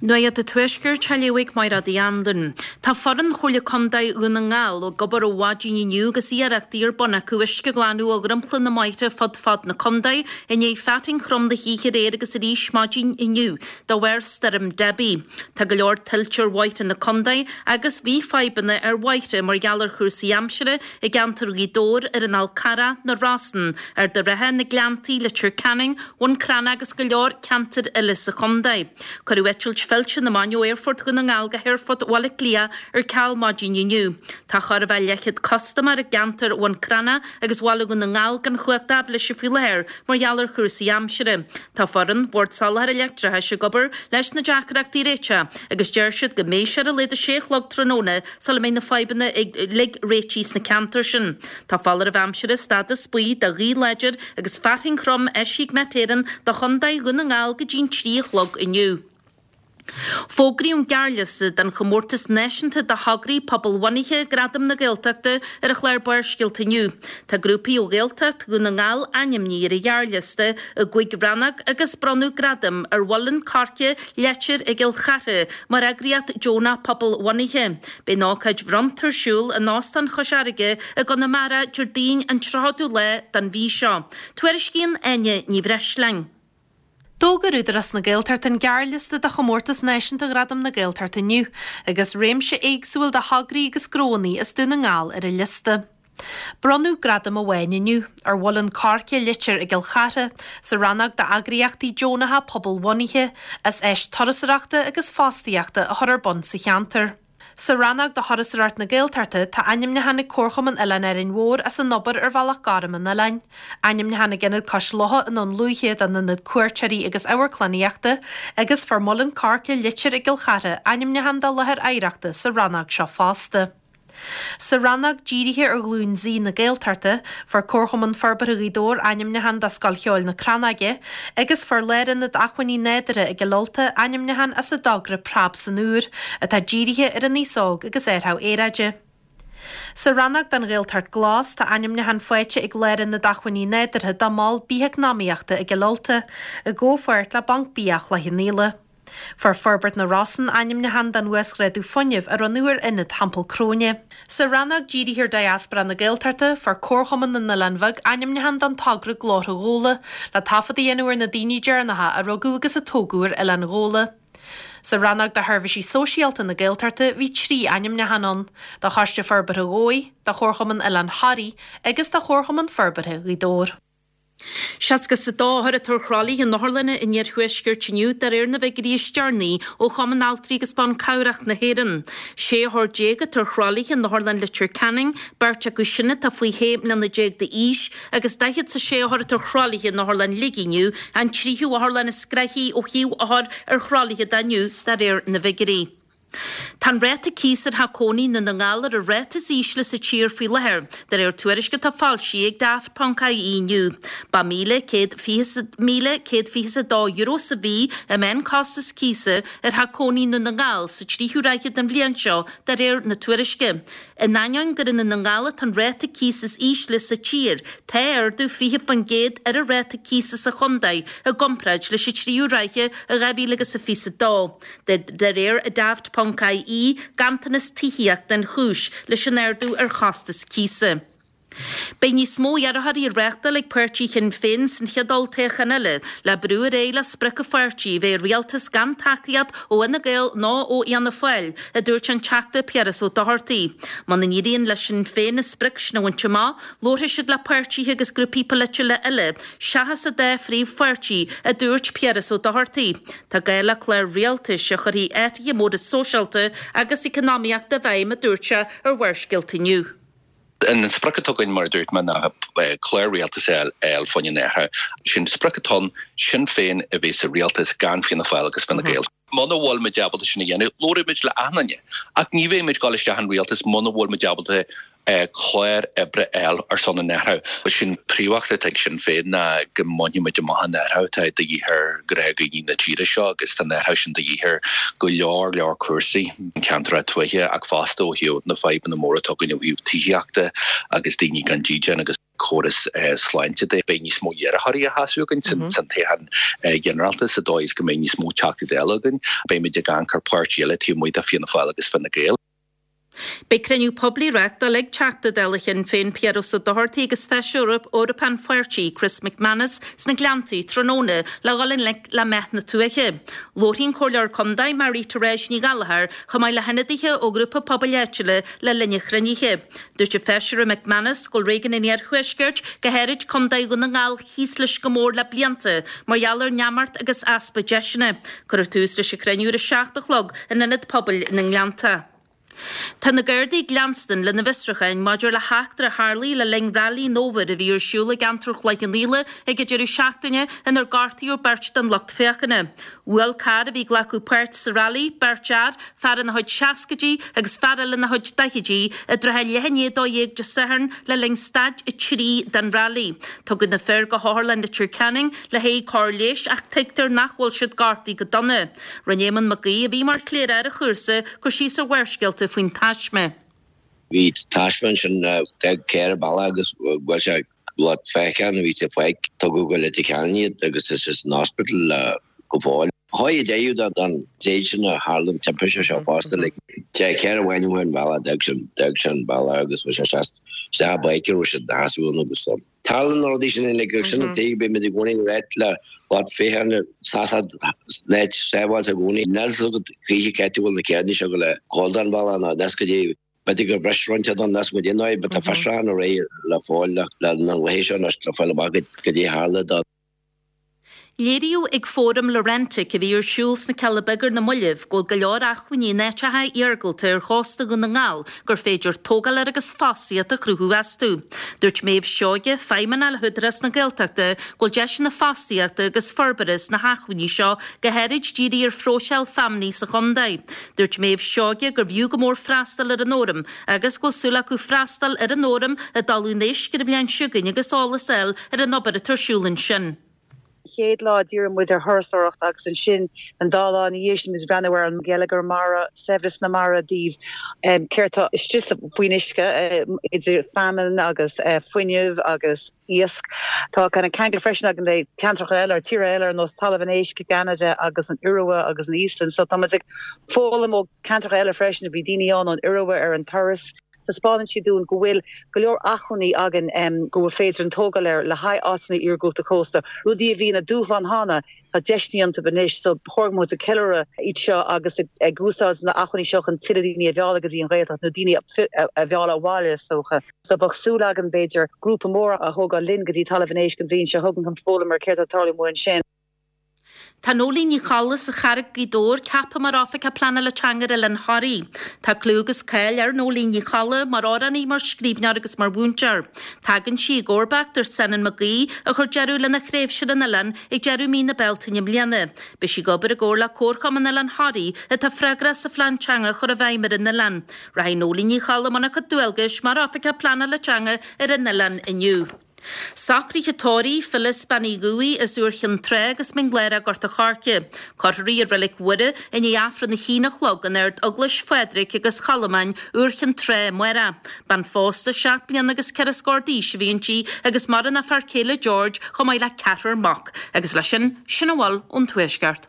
Nuacht an Tuaiscirt á léamh ag Máire Uí Anluain. Tá foireann Chomhairle Contae Dhún na nGall ag obair ó mhaidin inniu agus iarrachtaí ar bun acu uisce a ghlanadh ó dhromchla na mbóithre fud fad na contae i ndiaidh fearthainn throm na hoíche aréir agus arís maidin inniu de bharr Stoirm Debbie. Tá go leor tuilte ar bhóithre na contae agus bhí fadhbanna ar bhóithre mar gheall ar chúrsaí aimsire i gceantar Ghaoth Dobhair, ar an Fhál Carrach, na Rosann, Ard an Rátha, na Gleanntaí, Leitir Ceanainn, Bhun Cranncha agus go leor ceantair eile sa chontae. Cuireadh eitilt fillte na mban ó Aerfort Dhún na nGall go hAerfort Bhaile Átha Cliath ar ceal maidin inniu. Tá chóir a bheith leathchéad custaiméir i gceantar Bhun Cranncha agus Bhaile Dhún na nGall gan chumhacht aibhléise faoi láthair mar gheall ar chúrsaí aimsire. Tá foireann Bhord Soláthair Leictreachais ag obair leis na deacrachtaí a réiteach agus deir siad go mbeidh sé ar a laghad a sé a chlog tráthnóna sula mbeidh na fadhbanna uilig réitithe sna ceantair sin. Tá foláireamh aimsire stádas buí do ghaoth láidir agus fearthainn throm eisithe ag Met Éireann do Chontae Dhún na nGall go dtí'n 3 a chlog inniu. Fógraíodh an gearrliosta don chomórtas náisiúnta do thograí pobalbhunaithe Gradaim na Gaeltachta ar an chlár Barrscéalta inniu. Tá grúpaí ó Ghaeltacht Dhún na nGall ainmnithe ar an ghearrliosta i gcúig rannóg agus bronnadh gradam ar Mhuileann Coirce Leitir i gCill Chartha mar eagraíocht deonach pobalbhunaithe. Beidh an ócáid bhronnta ar siúl in Óstán Chois Fharraige i gConamara Déardaoin an 30ú lá den mhí seo. Tuairiscíonn Áine Ní Bhreisleáin. D'fhógair Údarás na Gaeltachta an gearrliosta do chomórtas náisiúnta Ghradaim na Gaeltachta inniu agus réimse éagsúil de thograí agus gnóanna as Dún na nGall ar an liosta. Bronnadh gradam amháin inniu, ar Mhuileann Coirce Leitir i gCill Chartha, sa rannóg d'eagraíochtaí deonacha pobalbhunaithe, as áis turasóireachta agus fostaíochta a chur ar bun sa cheantar. Sa rannóg do Thurasóireacht na Gaeltachta, tá ainmniúchán ag Comharchumann Oileán Árainn Mhór as an obair ar Bhealach Gorm an oileáin, ainmniúchán ag Ionad Cois Locha i nDún Lúiche don ionad cuairteoirí agus amharclannaíochta, agus fuair Muileann Coirce Leitir i gCill Chartha ainmniúchán do láthair oidhreachta sa rannóg seo fosta. Sa rannóg dírithe ar Ghlúin Z na Gaeltachta, fuair Comharchumann Forbartha Ghaoth Dobhair ainmniúchán do Scoil Cheoil na Crannóige agus fuair Lárionad Acmhainní Nádúrtha i gCill Ulta ainmniúchán as a dtogra Preab san Úr, atá dírithe ar an aos óg agus athrú aeráide. Sa rannóg don Ghaeltacht Glas, tá ainmniúchán faighte ag Lárionad Acmhainní Nádúrtha dá mol bitheacnamaíochta i gCill Ulta, i gcomhpháirt le Banc Bia Chloich Cheann Fhaola. Fuair Forbairt na Rosann ainmniúchán don uasghrádú fuinnimh a rinneadh ar Ionad Theampall Cróine. Sa rannóg dírithe ar Diaspora na Gaeltachta, fuair Comharchumann na nOileán Bheag ainmniúchán don togra Glórtha Ghabhla, le taifead a dhéanamh ar na daoine deireanacha a rugadh agus a tógadh ar Oileán Ghabhla. Sa rannóg do Sheirbhísí Sóisialta na Gaeltachta bhí 3 ainmniúchán ann, do Choiste Forbartha Dhomhaigh, do Chomharchumann Oileán Thoraí agus do Chomharchumann Forbartha Ghaoth Dobhair. 62 othar atá ar thralaithe in otharlanna an iarthuaiscirt inniu de réir na bhfigiúirí is deireanaí ó Chumann Altraí agus Ban Cabhrach na hÉireann. 16 othar atá ar thralaithe in Otharlann Leitir Ceanainn, beirt acu sin atá faoi 16 mbliana d'aois, agus 46 othar atá ar thralaithe in Otharlann Shligigh inniu, an tríú otharlann is gnoithí ó thaobh othar ar thralaithe de inniu de réir na bhfigiúirí. Tá an ráta cíosa ar theach cónaí i nDún na nGall ar an ráta is ísle sa tír faoi láthair, de réir tuairisc atá foilsithe ag Daft.ie inniu. Ba €1,122 sa mhí an meánchostas cíosa ar theach cónaí i Ndún na nGall sa tríú ráithe den bhliain seo, de réir na tuairisce. In ainneoin gur i nDún na nGall atá an ráta cíosa is ísle sa tír, tá ardú 20% ar an ráta cíosa sa chontae i gcomparáid leis an tríú ráithe i 2022. De réir Daft ponc ie, ganntanas tithíochta an chúis leis an ardú ar chostas cíosa. Beidh níos mó iarrthóirí á reáchtáil ag páirtí Shinn Féin san chéad olltoghchán eile le brú ar aghaidh le sprioc an pháirtí a bheith i rialtas gan tacaíocht ó Fhine Gael ná ó Fhianna Fáil, a dúirt an Teachta Piaras Ó Dochartaigh. Muna n-éiríonn le Sinn Féin an sprioc sin a bhaint amach, labharfaidh siad le páirtithe agus grúpaí polaitiúla eile seachas an dá phríomhpháirtí, a dúirt Piaras Ó Dochartaigh. Tá gá le clár rialtais a chuirfidh athruithe móra sóisialta agus eacnamaíochta i bhfeidhm, a dúirt sé ar Bharrscéalta inniu. An sprioc atá againn, mar a dúirt mé, ná clár rialtais a fháil fá choinne an athrú. Sin sprioc atá ann, Sinn Féin a bheith sa rialtas gan Fianna Fáil agus Fine Gael. Muna bhfuil muid ábalta sin a dhéanamh, labhróidh muid le achan duine. Ach ní bheidh muid ag dul isteach in rialtas muna bhfuil muid ábalta clár oibre a fháil ar son an athraithe. Sin príomhfheachtas atá ag Sinn Féin ná go mbainfidh muid amach an athrú atá de dhíth ar ghnáthdhaoine na tíre seo agus tá an athrú sin de dhíth ar go leor leor cúrsaí, ceantracha tuaithe ach fosta ó thaobh na fadhbanna móra atá againn ó thaobh tithíochta agus daoine gan dídean agus. córas sláinte de. Beidh níos mó iarrthóirí á sheasamh againn san toghchán ginearálta sa dóigh is go mbeidh níos mó Teachtaí Dála againn. Beimid ag amharc ar pháirtí eile taobh amuigh de Fianna Fáil agus Fine Gael. Beidh cruinniú poiblí reáchtáil ag Teachta Dála Shinn Féin Piaras Ó Dochartaigh agus Feisire Eorpach an pháirtí Chris McManus sna Gleanntaí tráthnóna le dhul i ngleic le meath na tuaithe. Labharfaidh an Comhairleoir Contae Marie Therese Ní Ghallchóir chomh maith le hionadaithe ó ghrúpa pobail áitiúla le linn an chruinnithe. Dúirt an Feisire McManus go bhfuil réigiún an Iarthuaiscirt, go háirid Contae Dhún na nGall, thíos leis go mór le blianta mar gheall ar neamart agus easpa deiseanna. Cuirfear tús leis an chruinniú ar a 7 a chlog in Ionad Pobail na nGleannta. Tá na Gardaí ag leanstan lena bhfiosrúcháin maidir le heachtra a tharlaigh le linn Railí an Fhómhair a bhí ar siúl i gceantar Chloich Cheann Fhaola ag an deireadh seachtaine inar gortaíodh beirt den lucht féachana. Bhuail carr a bhí ag glacadh páirt sa railí beirt fhear, fear ina chuid seascaidí agus fear eile ina chuid daichidí, i dtrátha leath i ndiaidh 12 Dé Sathairn le linn staid 3 den railí. Tugadh na fir go hOtharlann Leitir Ceanainn le haghaidh cóir leighis ach tuigtear nach bhfuil siad gortaithe go dona. Rinne Éamonn Mac Aoidh, a bhí mar chléireach ar an chúrsa, cur síos ar Bharrscéalta faoin taisme. Bhí taisme ansin d'fhág carr an bealach agus bhuail sé lucht féachana a bhí sa pháirc. Tugadh go Leitir Ceanainn iad agus tá siad san hospital go fóill. Chuaigh a deireadh don tréad sin a tharla an timpiste seo fosta. Like, carr amháin amuigh an bealach, d'fhág sé an bealach agus bhí sé isteach i bpáirc a raibh siad ina sheasamh ann agus Tarlaíonn na rudaí sin uilig agus sin an tuige bímid i gcónaí ag ráit le lucht féachana seasamh in áit sábháilte i gcónaí. Níl fhios agat choíche cá háit a bhfuil na carranna seo ag gabháil den bhealach nó níos go dtí b'fhéidir gur bhris roinnt den níos go dtí nó but tá fiosrúchán ar aghaidh le fáil le na laethe seo anois le fáil amach goidé a tharla do Léiríodh ag Fóram Laurentic a bhí ar siúl sna Cealla Beaga ar na mallaibh go bhfuil go leor acmhainní in áiteacha iargúlta ar chósta Dhún na nGall gur féidir tógáil air agus fostaíocht a chruthú astu. Dúirt Méabh Seoige, Feidhmeannach le hÚdarás na Gaeltachta, go bhfuil deiseanna fostaíochta agus forbartha sna hacmhainní seo, go háirid dírithe ar phróiseáil feamnaí sa chontae. Dúirt Méabh Seoige gurbh fhiú go mór freastal ar an fhóram agus go bhfuil súil acu freastal ar an fhóram i dTalamh an Éisc ar an bhliain seo chugainn agus eolas a fháil ar an obair atá ar siúl ansin. Chéad lá díreoidh muid ar thurasóireacht agus ansin an dá lá ina dhiaidh sin muid ag breathnú ar an gheilleagar mara, saibhreas na mara i dtaobh céard atá istigh faoin uisce idir feamainn agus fuinneamh agus iasc. Tá kind of ceangal freisin againn le ceantracha eile, tíortha eile ar nós Talamh an Éisc i gCeanada agus an Iorua agus an Íoslainn. So tá muid ag foghlaim ó ceantracha eile freisin. Bhí daoine ann ón Iorua ar an turas. Taispeánann siad dúinn go bhfuil go leor acmhainní againn go bhfuil féidir an tógáil air le haghaidh áiteanna iargúlta cósta, rudaí a bhí ina dúshlán cheana, tá deiseanna iontu anois so ba chóir go mbeadh muid ag ceiliúradh iad seo agus ag úsáid na acmhainní seo chun tuilleadh daoine a mhealladh go dtí an Ghaeltacht nó daoine a mhealladh abhaile is dócha. So bheadh súil againn b'fhéidir grúpa mór a thógáil linn go dtí Talamh an Éisc an bhliain seo chugainn chun foghlaim ar céard atá ag tarlú amuigh ansin. Tá Nóiléan Ní Cholla as an Charraig, Gaoth Dobhair, ceaptha mar Oifigeach Pleanála Teanga ar Oileán Thoraí. Tá clú agus cáil ar Nóiléan Ní Cholla mar amhránaí, mar scríbhneoir agus mar mhúinteoir. Tagann sí i gcomharbacht ar Senan Mac Aoidh, a chuir deireadh lena thréimhse ar an oileán ag deireadh mí na Bealtaine i mbliana. Beidh sí ag obair i gcomhar le Comharchumann Oileán Thoraí, atá freagrach as an phlean teanga a chur i bhfeidhm ar an oileán. Rachaidh Nóiléan Ní Cholla i mbun a cuid dualgais mar Oifigeach Pleanála Teanga ar an oileán inniu. Socruithe tórraimh, Phyllis Bean Uí Dhubhaigh as Iúr Chinn Trá agus Mín Lárach Gort a' Choirce. Cuirfear í i Reilig Mhuire i ndiaidh Aifreann a haon a chlog in Ard Eaglais Phádraig agus Cholmáin, Iúr Chinn Trá amárach. Bean phósta seacht mbliana agus ceithre scór d'aois a bhí inti agus maireann a fear céile George chomh maith le ceathrar mac. Agus leis sin, sin a bhfuil ón Tuaisceart.